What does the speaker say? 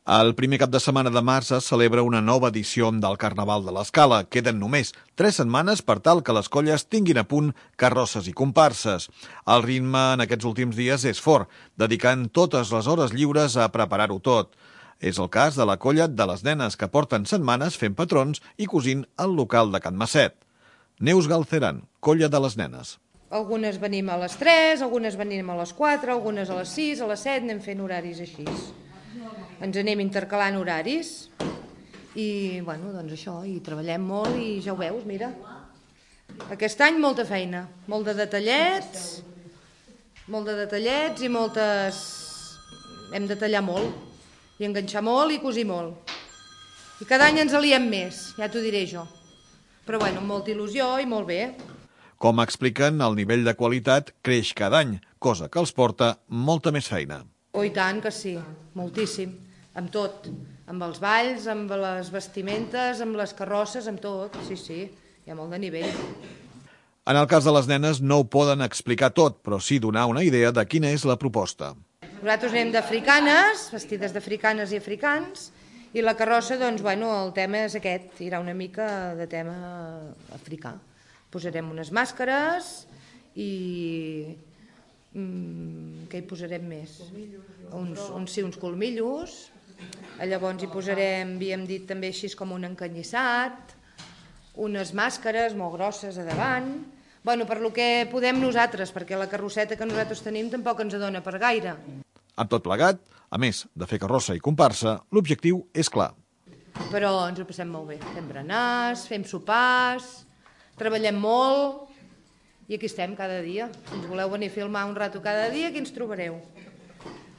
El primer cap de setmana de març es celebra una nova edició del Carnaval de l'Escala. Queden només 3 setmanes per tal que les colles tinguin a punt carrosses i comparses. El ritme en aquests últims dies és fort, dedicant totes les hores lliures a preparar-ho tot. És el cas de la colla de les nenes, que porten setmanes fent patrons i cosint al local de Can Masset. Neus Galceran, colla de les nenes. Algunes venim a les 3, algunes venim a les 4, algunes a les 6, a les 7, anem fent horaris així. Ens anem intercalant horaris i, bueno, doncs això, i treballem molt i ja ho veus, mira. Aquest any molta feina, molt de detallets i moltes... Hem de tallar molt i enganxar molt i cosir molt. I cada any ens aliem més, ja t'ho diré jo. Però, bueno, amb molta il·lusió i molt bé. Com expliquen, el nivell de qualitat creix cada any, cosa que els porta molta més feina. Oh, i tant que sí, moltíssim, amb tot, amb els balls, amb les vestimentes, amb les carrosses, amb tot, sí, hi ha molt de nivell. En el cas de les nenes no ho poden explicar tot, però sí donar una idea de quina és la proposta. Nosaltres anem d'africanes, vestides d'africanes i africans, i la carrossa, doncs, bueno, el tema és aquest, hi haurà una mica de tema africà. Posarem unes màscares i... què hi posarem més? Uns colmillos. Llavors hi posarem, havíem dit també així com un encanyissat, unes màscares molt grosses a davant. Bueno, per lo que podem nosaltres, perquè la carrosseta que nosaltres tenim tampoc ens dona per gaire. Amb tot plegat, a més de fer carrossa i comparsa, l'objectiu és clar. Però ens ho passem molt bé. Fem berenars, fem sopars, treballem molt... I aquí estem cada dia. Si ens voleu venir a filmar un rato cada dia, aquí ens trobareu.